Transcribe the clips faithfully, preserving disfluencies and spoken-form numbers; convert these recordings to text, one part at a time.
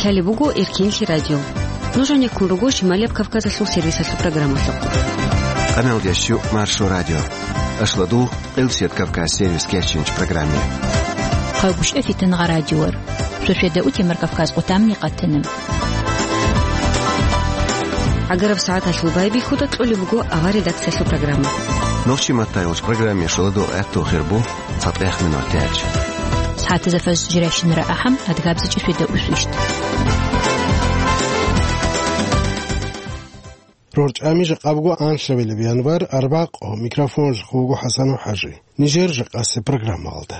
Лъалеб буго Эркенлъи радио. Нуж гьанеккун руго Шималияб Кавказалъул сервисалъул программалъухъ. Къаналдеш щу Маршо радио. Ашладул Къилсият Кавказ сервис кечинч программе. Хъавгушев Фитнагъа радиор. Сосиеда утемар Кавказ къутамни къатана. Агараб сагӀаталъул байбихьуда кьолеб буго авар редакциялъул программа. Нохчи маттайолч программе шоладо гӀатту хирбу. ЦатӀехъ минутач. СагӀатазда фаз жирайщинара ахӀам, адгабзичӀи светда усвищт. РорчӀами жакъа буго анлъабилеб январь, арбакъо, микрофон жахъ вуго ХӀасанов ХӀажи. Нижер жакъасе программалда.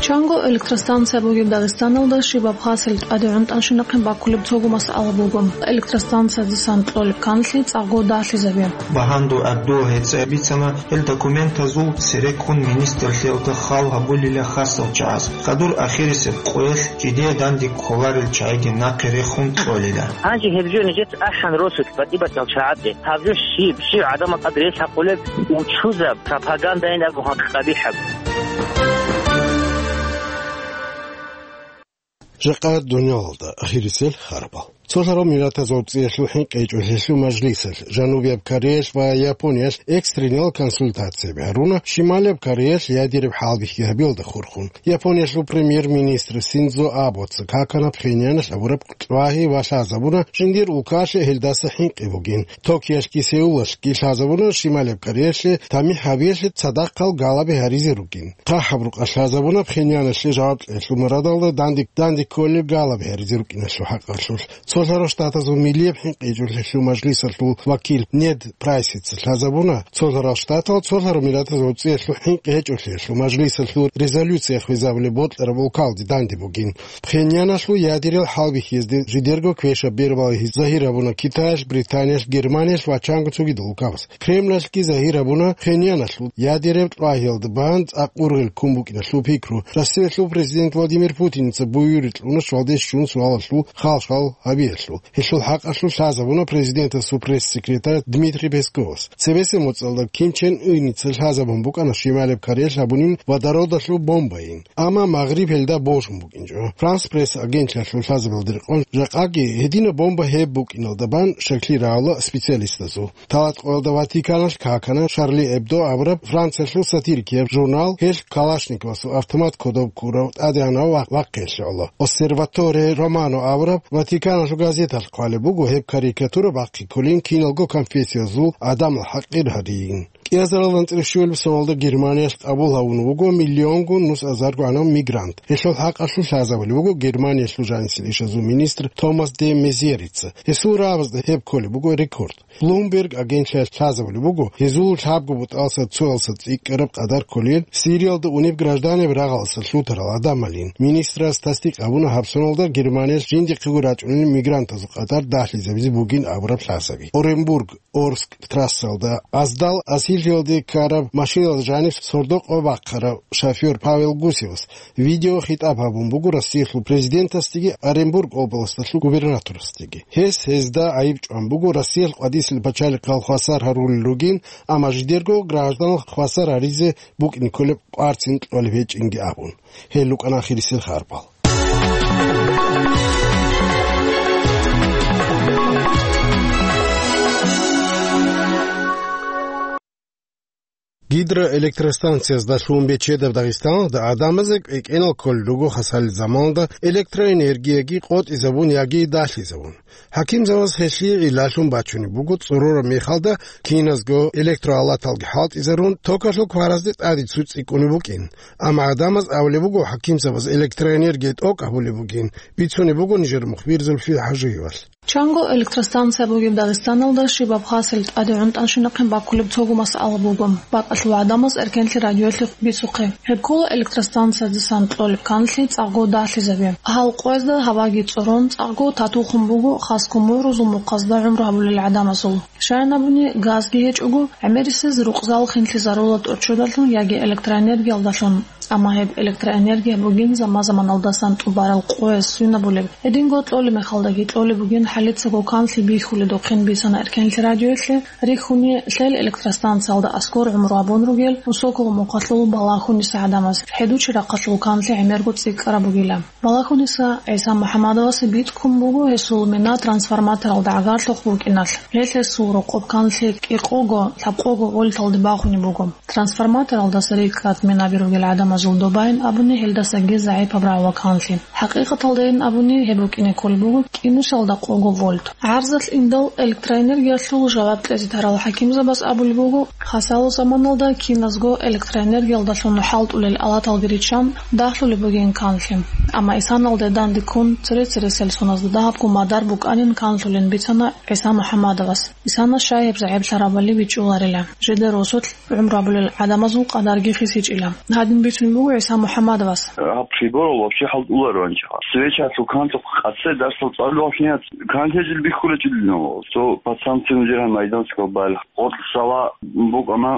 Чанго электростанция бугеб Дагъистаналда щибаб хасил тӀаде гӀунтӀанщинахъин баккулеб цого масъала буго. Электростанциядасан кьолеб канлъи цӀакъго далъизабе. Багьанду Абдул гьеца бицана гьел документазул цереккун министрлъиялда хал гьабулила хасал чагӀаз. Хадур ахирисеб къоялъ жидее данде кколарел чагӀиги нахъе рехун кьолила. Гьанже гьеб жо нижеца ахӀан росулъ батӀи-батӀиял чагӀазде. Гьаб жо щиб, щив гӀадамал тӀад релъ гьабулеб, учузаб, пропагандайин абун гьанкъ къабихӀаб. Жакъа дунялалда ахирисел харабал. Цолъарал Миллатазул ЦӀиялъул ХӀинкъичӀолъиялъул мажлисалъ Жанубияб Кореялъ ва Япониялъ экстренал консультацияб гьаруна Шималияб Кореялъ ядераб хӀалбихьи гьабиялда хурхун. Япониялъул премьер-министр Синдзо Абоца какана Пхеньяналъ гьабураб лъвагьи ва лъазабуна жиндир улкалъе гьелдаса хӀинкъи бугин. Токиялъги Сеулалъги лъазабуна Шималияб Кореялъе тамихӀ гьабиялъе цадахъал галаби гьаризе ругин. ХъахӀаб рукъалъ лъазабуна Пхеньяналъе жаваб кьеялъул мурадалда данде, данде кколеб галаби гьаризе рукӀиналъул хӀакъалъулъ. Цолъарал Штатазул Миллияб ХӀинкъичӀолъиялъул мажлисалъул вакил Нед Прайсица лъазабуна, Цолъарал Штатал Цолъарал Миллатазул ЦӀиялъул ХӀинкъичӀолъиялъул мажлисалъул резолюция хвезабулеб бокьараб улкалде данде бугин. Пхеньяналъул ядерал хӀалбихьизде жидерго квешаб бербал загьир гьабуна Китаялъ, Британиялъ, Германиялъ ва чанго цогидал улкабаз. Кремлалъги загьир гьабуна Пхеньяналъул ядераб лъвагьиялда бан цӀакъ ургъел ккун букӀиналъул пикру. Россиялъул президент Владимир Путиница буюри кьуна щвалде щун суалалъул хал-шал гьабиялъул. Гьелъул хӀакъалъулъ лъазабуна президентасул пресс-секретарь Дмитрий Песковас. Цебесеб моцӀалда Ким Чен Ыница лъазабун букӀана Шималеб Кореялъ гьабунин водородалъул бомбайин. Амма Магъриб гьелда божун букӀинчӀо. Франс Пресс агентлъиялъул лъазабалда рекъон, жакъаги гьединаб бомба гьеб букӀиналда бан шаклъи рагӀула специалистазул. Талат къоялда Ватиканалъ какана Шарли Эбдо абураб Франциялъул сатирикияб журнал, гьелъ Калашниковасул автомат кодоб ккурав тӀадегӀанав ва-, вахъиялъе гӀоло. Осерваторе Романо абураб Ватиканалъул газеталъ хъвалеб буго гьеб карикатура бахъи кколин киналго конфессиязул гӀадамал хӀакъир гьарийин. КӀиазаралда анцӀила щуялъ соналда Германиялъ къабул гьавун вуго миллионго нус азарго гӀанав мигрант. Гьелъул хӀакъалъулъ лъазабулеб буго Германиялъул жанисел ишазул министр Томас де Мезьерица. Гьесул рагӀабазда гьеб кколеб буго рекорд. Bloomberg агентлъиялъ лъазабулеб буго, гьезул лъабго бутӀалса цоялса цӀикӀкӀараб къадар кколел Сириялда унеб гражданеб рагъалса лъутарал гӀадамалин. Министрас тасдикъ гьабуна гьаб соналда Германиялъ жиндихъего рачӀунел мигрантазул къадар дагьлъизабизе бугин абураб лъазаби. Оренбург Орск трассалда аздал асирлъиялде ккараб машиналда жаниб сордо-къо бахъарав шофёр Павел Гусевас видеохитӀаб гьабун буго Россиялъул президентасдеги Оренбург областалъул губернаторасдеги. Гьес гьезда гӀайиб чӀван буго Россиялъ къвадисел пачалихъал хвасар гьарулел ругин, амма жидерго гражданал хвасар гьаризе букӀин кколеб къварцин кьолеб гьечӀинги абун. Гьел рукӀана ахирисел харбал. Гидроэлектростанциязда лъугьун бечедаб Дагъистаналда гӀадамазе кӀвекӀенал кколел руго хасалил заманалда электроэнергияги къотӀизабун яги далъизабун. ХӀакимзабаз гьелъие гӀиллалъун бачунеб буго цӀорораб мехалда киназго электроалаталги хӀалтӀизарун, токалъул кваразде тӀаде цу цӀикӀкӀунеб букӀин. Амма гӀадамаз абулеб буго хӀакимзабаз электроэнергия тӀокӀ гьабулеб бугин, бицунеб буго нижер мухбир Зульфия ХӀажиевалъ. Чанго электростанция бугеб Дагъистаналда щибаб хасил тӀаде гӀунтӀанщинахъин баккулеб цого масъала буго. БакӀалъул гӀадамаз Эркенлъи радиоялъе бицухъе. Гьеб ккола электростанциядасан кьолеб канлъи цӀакъго далъизабе. Гьал къоязда гьаваги цӀорон цӀакъго татухъун буго хасго мугӀрузул мухъазда гӀумру гьабулел гӀадамазул. Щайин абуни, газги гьечӀого, гӀемерисез рукъзал хинлъизарула тӀочодалъун яги электроэнергиялдалъун. Амма гьеб электроэнергия бугин заман-заманалдасан тӀубарал къояс свинабулеб. Гьединго кьолеб мехалдаги кьолеб бугин хӀалицаго канлъи бихьуледухъин бицана Эркенлъи радиоялъе, рихьуни лъел электростанциялда аскӀор гӀумру гьабун ругел Усокова мухъалъул Балагьуниса гӀадамаз. ХӀедучи рахъалъул канлъи гӀемерго цӀикӀкӀараб бугила. Балагьуниса ГӀиса МухӀаммадовасе биткун буго гьесул мина трансформаторалда гӀагарлъухъ букӀиналъ. Гьелъ гьесул рокъоб канлъи кӀикъого, лъабкъого вольталде бахунеб буго. Трансформаторалдаса рикӀкӀад минаби ругел гӀадамазул добайин абуни гьелдасаги загӀипаб рагӀула канлъи. ХӀакъикъаталдайин абуни гьеб букӀине кколеб буго кӀинусалда къого вольт. ГӀарзалъ индал электроэнергиялъул жаваб кьезе тарал хӀакимзабаз абулеб буго, хасал заманалда киназго электроэнергиялдалъун хӀалтӀулел алаталги риччан дагьлъулеб бугин канлъи. Амма исаналде данде ккун, цере-цересел соназда дагьабго мадар букӀанин канлъулин бицана ГӀиса МухӀаммадовас. Исана щай гьеб загӀиплъарабали бичӀчӀуларила. Жидер росулъ гӀумру гьабулел гӀадамазул къадарги хисичӀила. Гьадин бицун буго ГӀиса МухӀаммадовас. Гьаб приборал вообще хӀалтӀуларо анча. Свечалъул канлъухъ къасе дарсал цӀалулев вахинац. Канлъи жил бихьулечӀилинав. Цо пацанцин жиргьан майданского балагь. Къоркьсала букӀана,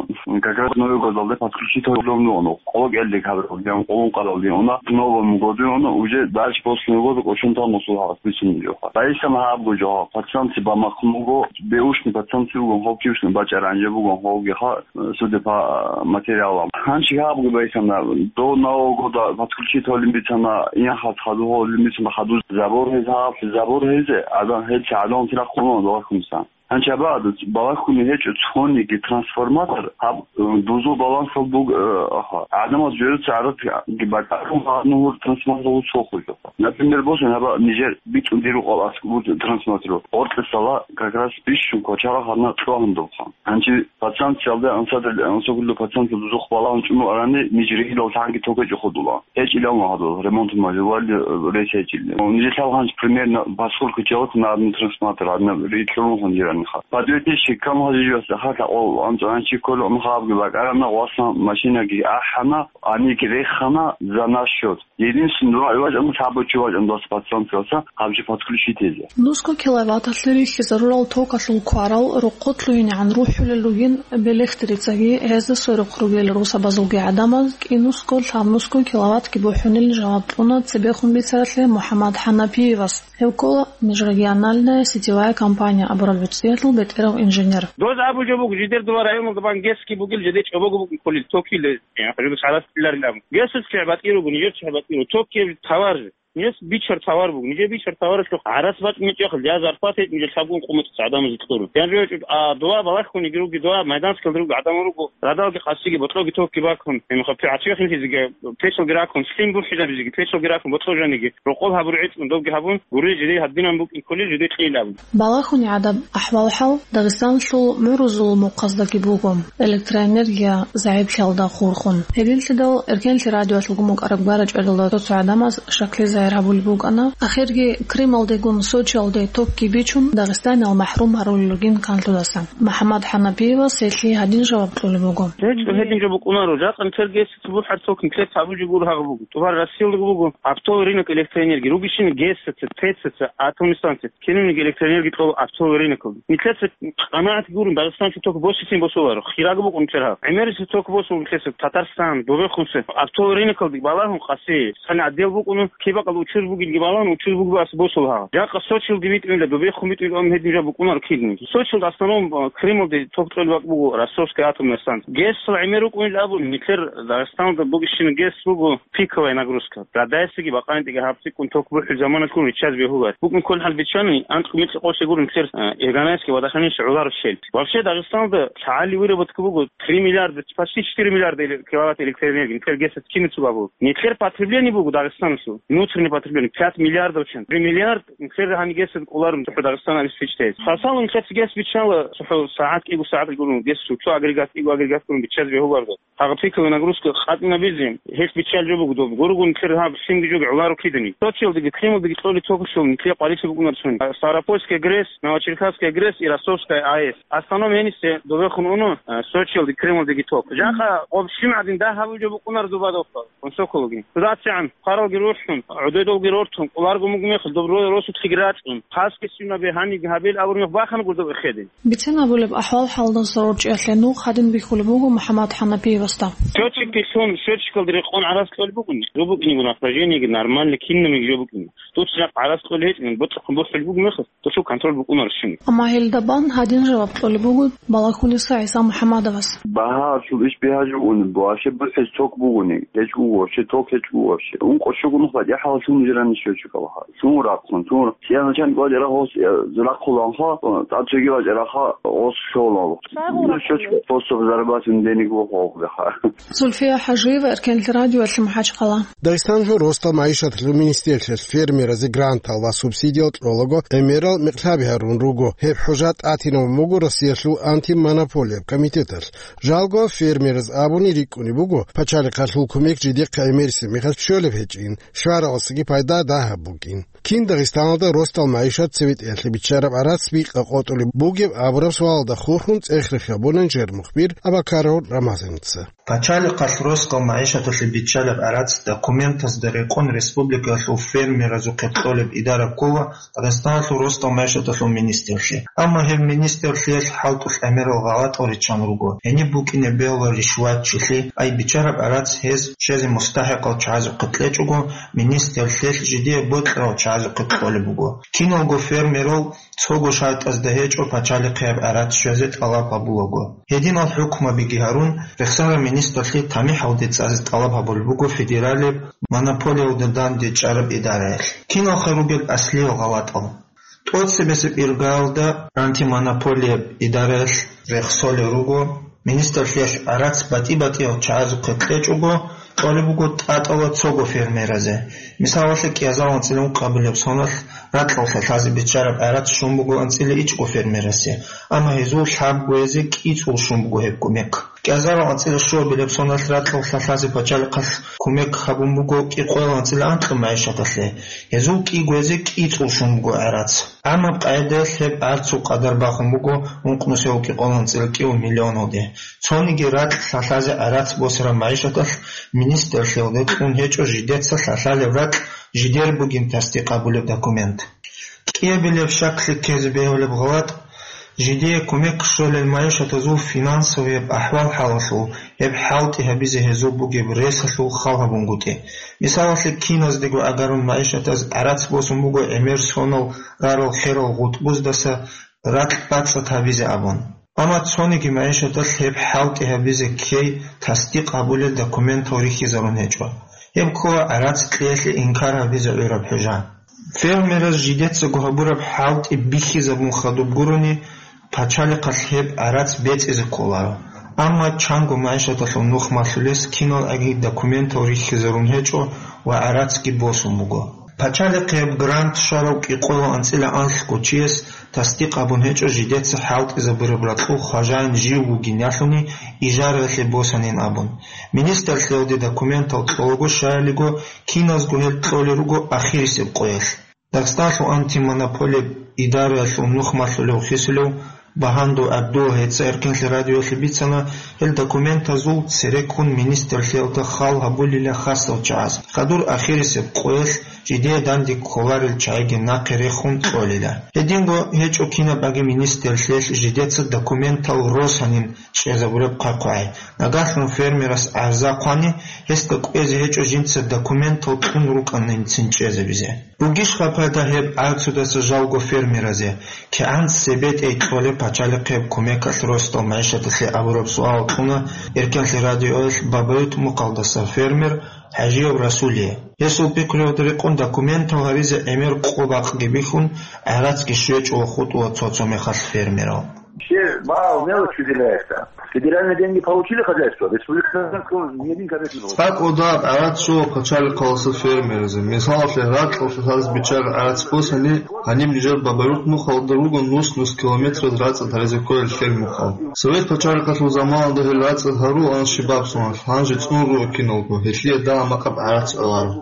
как раз Новый годалде подключить гьабулев нугӀана. Къоло кӀелдек гьабураб, дигӀан къоло ункъаралде уна, к Новому году уна, уже дальше после Нового года кӀочон тан мусул гьаб бицун жо. Байсам гьабго жо, пацанци бамахъун буго, беушни пацанци бугон, хов кившни бачӀаран жо бугон, ховги ха, судя по материалам. Гьанчи гьабго байсамна, до Нового года подключить гьолин бицана, инхас хаду гьолин бицана, хаду забор гьез гьаб, забор гьез, адам гьел чагӀалон тирахъ хъуман, догӀахъумсан. Гьанчаба балагьуни гьечӀо цониги трансформатор, гьаб, э, дузул балансал буг-, э, аха. ГӀадамаз журица гӀаратги бакӀарун гьанур трансформатор цохуй. Например, босун гьаба нижер битӀун диру къал аскӀур трансформатор. Къоркьесала как раз бищун квачара гьанна кьвагьун добха. Гьанчи пацанциялда ансадал, ансагуллу пацанци дузухъ балагьун чӀуму арани, ниж ригьидал лъанги токе чӀухъудула. ГьечӀилан ва гьадул ремонт мажували рес гьечӀили. Нижелъал гьанж примерно, поскольку человек на одну трансформатор, одна ритӀлъун гьанжиранха. Подведите щекам гьажижас, ахатла къол анцӀанчи кколе умхабги бакӀарана, гъвасан машинаги ахӀана, аниги рехана за наш счёт. Единственное, два вачӀан, сабочий вачӀан, два пацанци васа, гьабжи подключить гьезе. Нусго киловатталъе рихьизарурал токалъул кварал рокъо лъугьинегӀан рухӀулел ругин Белехтерицаги гьезда сверухъ ругел русабазулги гӀадамаз кӀинусго лъабнусго киловаттги бухӀунилан жаваб кьуна цебехун бицаралъе МухӀаммад ХӀанафиевас. Гьев ккола межрегиональная сетевая компания абураб гӀуцӀиялъул бетӀерав инженер. Доз абу жо буго, жидер дова районалда бан гески бугил, жиде чӀобого бугин кколил токил, э, хӀажуда шарас биларилан. Гесус чагӀ батӀи ругун, еш чагӀ батӀи ругун, токил товар. Нилъ бичар товар буго. Нижер бичар товаралъухъ гӀарац бачӀун гьечӀехъе, я зарплата гьечӀо, нижер лъабгун къумутӀ гӀадамазе кьурун. Я жо гьечӀо, а, дова балагьун йиги руги, дова майданскалда руго гӀадамал руго, радалги къасиги, ботлоги токги бакун. Гьебмехалъ гӀачи хинлъизеги, печалги ракун, лъим бухӀизабизеги, печалги ракун, ботло жаниги, рокъоб гьабуру гӀицӀун, добги гьабун, гури жиде гьадинан букӀин кколел жиде кьейилан абун. Балагьуни гӀадаб ахӀвал-хӀал Дагъистаналъул мугӀрузул мухъаздагиб буго, электроэнергия загӀиплъиялда хурхун. Гьединлъидал Эркенлъи радиоялъулгун букӀараб гара-чӀведалда цо-цо гӀадамаз шакли загьир гьабулеб букӀана, ахирги Крымалдегун Сочиялде токги бичун, Дагъистаниял махӀрум гьарулел ругин канлъудаса. МухӀаммад ХӀанафиевас гьелъие гьадин жаваб кьолеб буго. ГьечӀо, гьедин жо букӀунаро, жакъа нилъер гесица бухӀарцухъ нилъер гьабулеб жо гуро гьагъаб буго. ТӀубар Россиялдаго буго оптовый рынок электроэнергии. Ругищин гесица, ТЭЦица, атомный станция. Кинабниги электроэнергия кьола оптовый рынокалда. Нилъеца къанагӀат гурун, Дагъистаналъе ток босицин босуларо. Хираг букӀун нилъер гьаб. ГӀемериса ток босун нилъеца Татарстан, Добехунсе. Оптовый рынокалде балагьун къаси, цӀалин отдел букӀун, кибакъал учуз бугилги балагьун, учуз бугеб ас босул гьаб. Жакъа Сочилги битӀунила, Добехун битӀунила, ам гьедин жо букӀунаро кидни. Сочилда в основном, э, Крымалде ток кьолеб бакӀ буго, Ростовская атомная станция. ГЭС-ла гӀемер рукӀунел абун, нилъер Дагъистаналда бугищина ГЭС буго, пиковая нагрузка. Радайсаги бакъанитӀиги гьабцӀикӀкӀун ток бухӀул заманалъгун риччаз бегьулар. БукӀун кколхӀал биччани, анцӀго микьи къосе гурун нилъер, э, Эрганайский водохранилище гӀолару щел. Вообще, Дагъистаналда лъагӀалил выработка буго три миллиарда, почти четыре миллиарда эле-, киловатт электроэнергия, нилъер гесет киницу бабу. Нилъер потребление буго Дагъистаналъул, внутреннее потребление, пять миллиардов чан. Три миллиард нилъер гьанигесет кӀоларун цохӀо Дагъистан алис бичтайс. Хасалун нилъер гес биччала, цохӀо сагӀат кӀиго сагӀат гурун, гес цо агрегат кӀиго агрегат гурун биччаз бегьуларда. Гьагъа пиковая нагрузка къатӀинабизе, гьелъ биччал жо буго доб. Гургун нилъер гьаб лъимги жоги гӀоларо кидани. Сочилдеги, Крымалдеги кьолеб ток щолин, нилъер къварилъи букӀунар цони. Ставропольская ГРЭС, Новочеркасская ГРЭС и Ростовская АЭС. Основном гьенисе добехун уна, э, Сочилдеги, Крымалдеги ток. Жакъа гъоб щибгӀадин дагь гьабул жо букӀунар дуба дохъа, Сокологи. Туда цигӀан, хъаралги рухӀун, Додолги рортун, къуларго мугмехал, доб ро-, росулъги рацӀун, хъасги сунабе гьаниб гьабил абурмех бахана гурдов эхеде. Бицен абулеб ахӀвал-хӀалдаса рорчӀиялъе нух гьадин бихьулеб буго МухӀаммад ХӀанафиевасда. Счётчиклъун, счётчикалда рекъон гӀарац кьолеб бугони. Жо букӀиниго, напряжениеги нормальный кинабиги жо букӀина. Дуца жакъ гӀарац кьолеб гьечӀин, боцӀухъун бухӀулеб буго мехалъ, дуца контроль букӀунарищ чуни. Амма гьелда бан гьадин жаваб кьолеб буго Балагьуниса ГӀиса МухӀаммадовас. Багьа чул иш бигьа жугьун, вообще бухӀиз ток бугони, гьечӀо вообще, ток гьечӀо вообще. Ункъо щуго нух батӀи хӀалалъун жирани счётчикалха. Чун рахъун, чун. Сиана чан кӀвачӀ рахъос, э, рахъуланха, э, тӀад чеги вачӀ раха, ос шолал. Сагъул Ну, счётчик рахъун. Способ зарабатывания денег вохъ вохъ беха. Зульфия ХӀажиева, Эркенлъи радиоялъе, МахӀачхъала. Дагъистаналъул росдал магӀишаталъул министрлъиялъ фермеразе грантал ва субсидиял кьолаго гӀемерал микьлъаби гьарун руго. Гьеб хӀужа тӀатинабун буго Россиялъул антимонополияб комитеталъ. Жалго фермераз абуни рикӀкӀунеб буго, пачалихъалъул кумек жидехъе гӀемерисеб мехалъ щолеб гьечӀин, щваралдасаги пайда дагьаб букӀин. Кин Дагъистаналда росдал магӀишат цебетӀеялъе биччараб гӀарац бикъа къотӀулеб бугеб абураб суалалда хурхун цӀех-рех гьабуна инженер-мухбир Абакаров Рамазаница. Пачалихъалъ росдал магӀишаталъе биччараб гӀарац документазда рекъон республикаялъул фермеразухъе кьолеб идара ккола Дагъистаналъул росдал магӀишаталъул министрлъи. Амма гьеб министрлъиялъ хӀалтӀулъ гӀемерал гъалатӀал риччан руго. Гьениб букӀине бегьула ришватчилъи, ай биччараб гӀарац гьез щвезе мустахӀикъал чагӀазухъе кьечӀого, министрлъиялъ жидее бокьарал чагӀазухъе кьолеб буго. Киналго фермерал цого шартӀазда гьечӀо пачалихъе гьеб гӀарац щвезе тӀалаб гьабулаго. Гьединал хӀукмабиги гьарун, рехсараб министрлъи тамихӀалде цӀазе тӀалаб гьабулеб буго федералияб монополиялда дандечӀараб идараялъ. Киналха ругел аслиял гъалатӀал? ТӀоцебесеб иргаялда антимонополияб идараялъ рехсолел руго, министрлъиялъ гӀарац батӀи-батӀиял чагӀазухъе кьечӀого, кьолеб буго тӀатӀала цого фермеразе. Мисалалъе, кӀиазарал анцӀила ункъабилеб соналъ ракьалъ лъалъазе биччараб гӀарац щун буго анцӀила ичӀго фермерасе, амма гьезул лъабгоязе кӀицӀул щун буго гьеб кумек. КӀиазарал анцӀила щуабилеб соналъ ракьалъ лъалъазе пачалихъалъ кумек гьабун буго кӀикъоял анцӀила анкьаб магӀишаталъе, гьезул кӀигоязе кӀицӀул щун буго гӀарац. ГӀамаб къагӀидаялъ гьеб гӀарцул къадар бахун буго ункънусиялъул кӀикъоялъул анцӀила кӀиго миллионалде. Цониги ракь лъалъазе гӀарац босараб магӀишаталъ министрлъиялде кьун гьечӀо жидеца лъалъалеб ракь жидер бугин тасдикъ гьабулеб документ. КӀиабилеб щаклъи ккезе бегьулеб гъалатӀ, жидее кумек щолел магӀишатазул финансовияб ахӀвал-хӀалалъул гьеб хӀалтӀи гьабизе гьезул бугеб ресалъул хал гьабунгутӀи. Мисалалъе, киназдего агарун магӀишатаз гӀарац босун буго гӀемер сонал рарал-херал гъутӀбуздаса ракь бацӀцӀад гьабизе абун. Амма цониги магӀишаталъ гьеб хӀалтӀи гьабизе ккей тасдикъ гьабулел документал рихьизарун гьечӀо. Гьеб ккола гӀарац кьеялъе инкар гьабизе гӀураб хӀужа. Фермераз жидецаго гьабураб хӀалтӀи бихьизабун хадуб гурони, пачалихъалъ гьеб гӀарац бецӀизе кколаро. Амма чанго магӀишаталъул нух малъулес кинал аги документал рихьизарун гьечӀо ва гӀарацги босун буго. Пачалихъе гьеб грант щварав кӀикъоялъул анцӀила анлъго чияс тасдикъ гьабун гьечӀо жидеца хӀалтӀизабураб ракьул хважаин жив вугин ялъуни ижараялъе босанин абун. Министрлъиялде документал кьолаго щаялиго, киназго гьел кьолел руго ахирисеб къоялъ. Дагъистаналъул антимонополияб идараялъул нух малъулев хисулев Багьандов ГӀабдул гьеца Эркенлъи радиоялъе бицана, гьел документазул цереккун министрлъиялда хал гьабулила хасал чагӀаз, хадур ахирисеб къоялъ жидее данде кколарел чагӀиги нахъе рехун кьолила. Гьединго гьечӀо кинабаги министрлъиялъ жидеца документал росанин чӀезабураб хъвай-хъвай. Нагагьлъун фермерас гӀарза хъвани, гьесда кӀвезе гьечӀо жинца документал кьун рукӀанинцин чӀезабизе. Бугищха пайда гьеб гӀарцудаса жалго фермеразе? КигӀан цебетӀей кьолеб пачалихъеб кумекалъ росдал магӀишаталъе абураб суал кьуна Эркенлъи радиоялъ Бабают-Мухъалдаса фермер ХӀажиев Расулие. Гьесул пикруялда рекъон документал гьаризе гӀемер къо-бакъги бихьун, гӀарацги щвечӀо ва хутӀула цо-цо мехалъ фермерал. Все мало, мелочь выделяется. Федеральные деньги получили хозяйство, республиканского ни один копейки не получили. ТӀакӀудааб гӀарац щола пачалихъаласа фермеразе. Мисалалъе, ракьалъ лъалъазе биччараб гӀарац босани, гьаниб нижер Бабают-Мухъалда руго нус-нус километраз рацӀцӀад гьаризе кколел фермухъал. Совет пачалихъалъул заманалда гьел рацӀцӀад гьарулаан щибаб соналъ, гьанже цӀун руго киналго, гьелъие дагьа-макъаб гӀарац гӀоларо.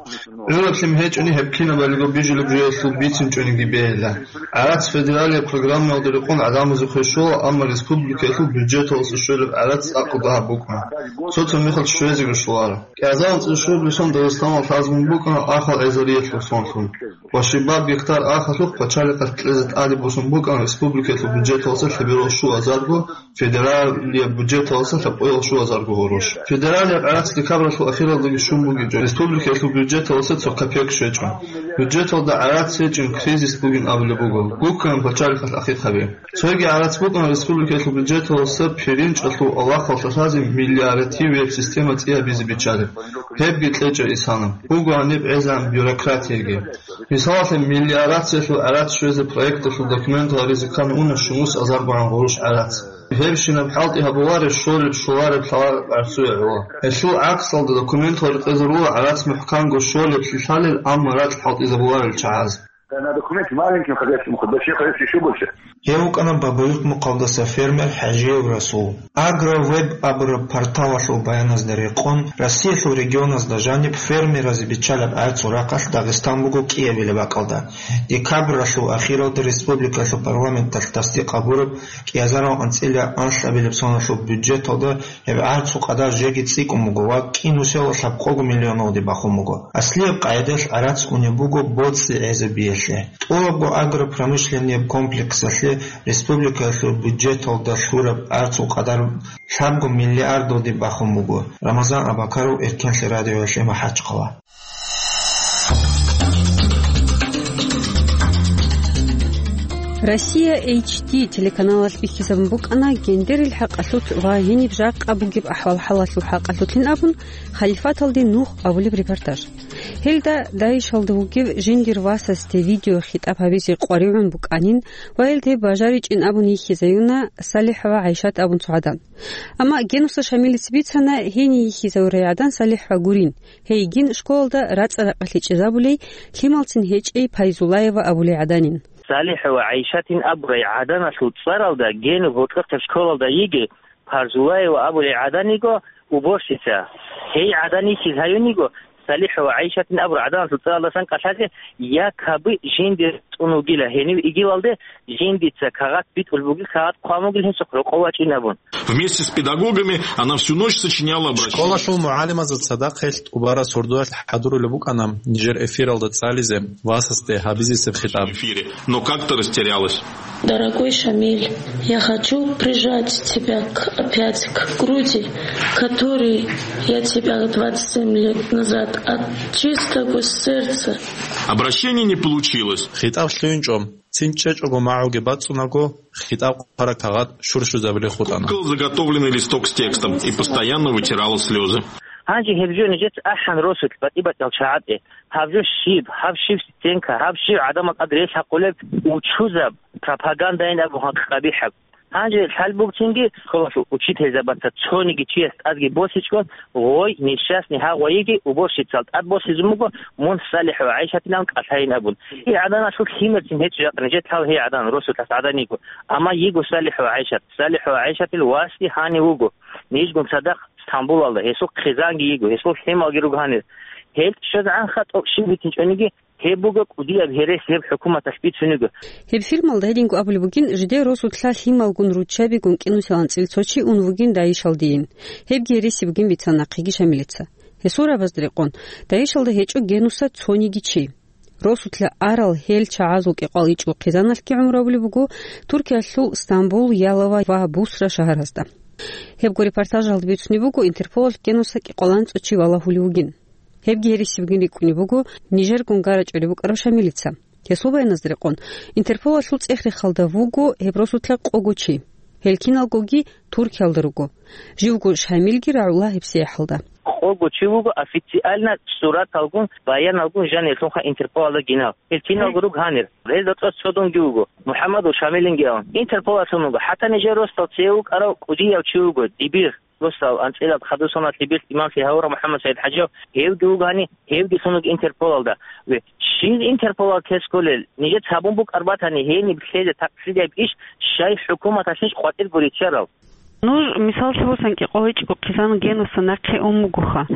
ГӀураблъи гьечӀони гьеб кинабалиго бижулеб жоялъул бицинчӀониги бегьила. ГӀарац федералияб программаялда рекъон гӀадамазухъе щола, Амма республикаялъул бюджеталдаса щвелеб гӀарац цӀакъ дагьаб букӀана. Цо-цо мехалъ щвезеги щоларо. КӀиазарун цӀе щуабилеб сон Дагъистаналда лъазабун букӀана ахал гӀезариялъул сонлъун ва щибаб гектар ахалъухъ пачалихъалъ кьезе тӀаде босун букӀана республикаялъул бюджеталдаса лъеберал щуазарго, федералияб бюджеталдаса лъабкъоял щуазарго гъурущ. Федералияб гӀарац декабралъул ахиралдаги щун бугичӀо, республикаялъул бюджеталдаса цо копек щвечӀо. Бюджеталда гӀарац гьечӀин кризис бугин абулеб буго, гуккана пачалихъалъ ахикъаби. Цоги гӀарац букӀана республикаялъул бюджеталдаса пиринчӀалъул авлахъалъа лъазе мелиоративияб система цӀиябизе биччалеб. Гьебги кьечӀеб исана. Буго гьаниб гӀезегӀан бюрократияги. Мисалалъе, мелиорациялъул гӀарац щвезе проекталъул документал гьаризе ккана унеб щунус азаргогӀан гъурущ гӀарац. Гьебщинаб хӀалтӀи гьабулареб щолеб-щолареб лъалареб гӀарцуе гӀоло. Гьелъул гӀаксалда документал рекъезарула гӀарац мухӀканго щолеблъи лъалел, амма ракь хӀалтӀизабуларел чагӀаз. Когда документ маленьким хозяйством уходит, большие хозяйства ещё больше. Гьев вукӀана Бабаюрт мухъалдаса фермер ХӀажиев Расул. Агровеб абураб порталалъул баяназда рекъон, Россиялъул регионазда жаниб фермеразе биччалаб гӀарцул рахъалъ Дагъистан буго кӀиабилеб бакӀалда. Декабралъул ахиралда республикалъул парламенталъ тасдикъ гьабураб кӀиазарал анцӀила анлъабилеб соналъул бюджеталда гьеб гӀарцул къадар жеги цӀикӀкӀун буго ва кӀинусиялда лъабкъого миллионалде бахун буго. Аслияб къагӀидаялъ гӀарац унеб буго боцӀи гӀезабиялъе. ТӀолабго агропромышленнияб комплексалъе республикаялъул бюджеталда лъураб гӀарцул къадар лъабго миллиардалде бахун буго. Рамазан Абакаров, Эркенлъи радиоялъе, МахӀачхъала. Россия H D телеканалалъ бихьизабун букӀана гендерил хӀакъалъулъ ва гьениб жакъа бугеб ахӀвал-хӀалалъул хӀакъалъулъин абун, Халифаталде нух абулеб репортаж. Гьелда ДАИШалда вугев жиндир васасде видеохитӀаб гьабизе къваригӀун букӀанин ва гьелде бажаричӀин абун йихьизаюна СалихӀ ва ГӀайшат абун цо гӀадан. Амма Генуса Шамилица бицана, гьение йихьизавурай гӀадан СалихӀ ва гурин. Гьейгин школалда рацӀа-ракъалъе чӀезабулей, лъималцин гьечӀей Пайзулаева абулей гӀаданин. СалихӀ ва ГӀайшатин абурай гӀаданалъул цӀаралда Гену гьоркьохъеб школалда йиги, Пайзулаева абулей гӀадан йиго уборщица. Гьей гӀадан йихьиз гьаюн йиго СалихӀ ва ГӀайшатин абурай гӀаданалъул цӀаралдасан кӀалъазе, якобы жинди цӀун вугила гьенив игилалде, жиндица кагъат битӀулеб бугил, кагъат хъван бугил гьесухъ рокъов вачӀин абун. Вместе с педагогами она всю ночь сочиняла обращение. Школалъул мугӀалимазда цадахъ гьелъ тӀубараб сордоялъ хӀадурулеб букӀана нижер эфиралда цӀализе васасде гьабизесеб хитӀаб. В эфире, но как-то растерялась. Дорогой Шамиль, я хочу прижать тебя к, опять к груди, которой я тебя двадцать семь лет назад от чистого сердца. Обращение не получилось. ХитӀаб лъугьинчӀо. Цин чӀечӀого магӀуги бацӀцӀунаго, хитӀаб хъвараб кагъат щурщузабулей хутӀана. Кукол заготовленный листок с текстом и постоянно вытирала слезы. Гьанже гьеб жо нижеца ахӀан росулъ батӀи-батӀиял чагӀазе. Гьаб жо щиб, гьаб щиб стенка, гьаб щиб гӀадамал тӀад релъ гьакъулеб учузаб, пропагандайин абун гьакъ къабихӀаб. Гьанже лъалбугцинги школалъул учительзабаца цониги чияс тӀадги босичӀого, гъой, несчастный гьагъвайиги уборщицал тӀад босизун буго, мун СалихӀ ва ГӀайшатинан кӀалъайин абун. Гьей гӀаданалъул лъимерцин гьечӀо жакъа нижетлъал гьей гӀадан, росулъас гӀадан йиго. Амма йиго СалихӀ ва ГӀайшат. СалихӀ ва ГӀайшатил васги гьанив вуго. Нижгун цадахъ Стамбулалда, гьесул хъизанги йиго, гьесул лъималги руго гьанир. Гьел щвезегӀанха тӀокӀ щиб битинчӀониги, гьеб буго кӀудияб гьерес гьеб хӀукуматалъ бицун йиго. Гьеб фильмалда гьединго абулеб бугин, жидер росулъа лъималгун руччабигун кӀинусилан анцӀила цо чи ун вугин ДАИШалдейин. Гьебги гьереси бугин бицана нахъеги Шамилица. Гьесул рабазда рекъон, ДАИШалда гьечӀо Генуса цониги чи. Росулъа арал гьел чагӀазул кӀикъвал ичӀго хъизаналъги гӀумру гьабулеб буго Туркиялъул Стамбул, Ялова ва Бусра шагьаразда. Гьебго репортажалда бицунеб буго, Интерполалъ Генуса кӀикъваланцӀо чи валагьулев вугин. Гьебги гьереси бугин рикӀкӀунеб буго нижергун гарачӀулеб букӀараб Шамилица. Гьесул баяназда рекъон, Интерполалъул цӀех-рехалда вуго гьеб росулъа къого чи. Гьел киналгоги Туркиялда руго. Живго Шамилги рагӀула гьеб сияхӀалда. Къого чи вуго официально сураталгун, баяналгун жаниялъунха Интерполалда гинав. Гьел киналго руго гьанир. Гьезда цӀоз цо дунги вуго, МухӀаммадул Шамилинги абун. Интерполалъун вуго. ХӀатта нижер росдал цеве вукӀарав кӀудияв чи вуго, дибир. Росдал анцӀила хадусана лъебералъ имамлъи гьавурав МухӀаммад СагӀид ХӀажиев, гьевги вуго гьани, гьевги лъун вуго Интерполалда. Ве, щиб Интерполал ккезе кколел? Нижеца гьабун букӀар батани, гьениб лъезе такълъидияб иш, щай хӀукуматалъищ къватӀирго риччарал? Нуж, мисаллъи босани, кӀикъвал ичӀго хъизан Генуса нахъе ун бугоха.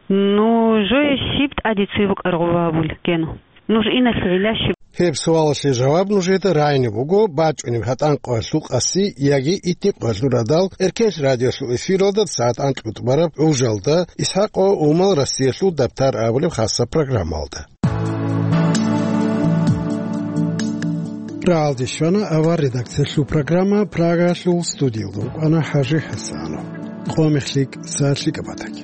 Нужее щиб тӀаде цеве букӀараб гъоба гьабулеб, Гену? Нуж иналъе гӀилла щиб? Гьеб суалалъе жаваб нужеда рагӀине буго бачӀунеб гьатӀан къоялъул къаси яги итни къоялъул радал Эркенлъ радиолъул эфиралда сагӀат анкьго тӀубараб гӀужалда ИсхӀакъ ва Умал Россиялъул дабтар абулеб хасаб программалда. РагӀалде щвана авар редакциялъул программа, Прагалъул студиялда рукӀана ХӀажи ХӀасанов. Къо мехлъи, сагӀатлъи кӀабатаги.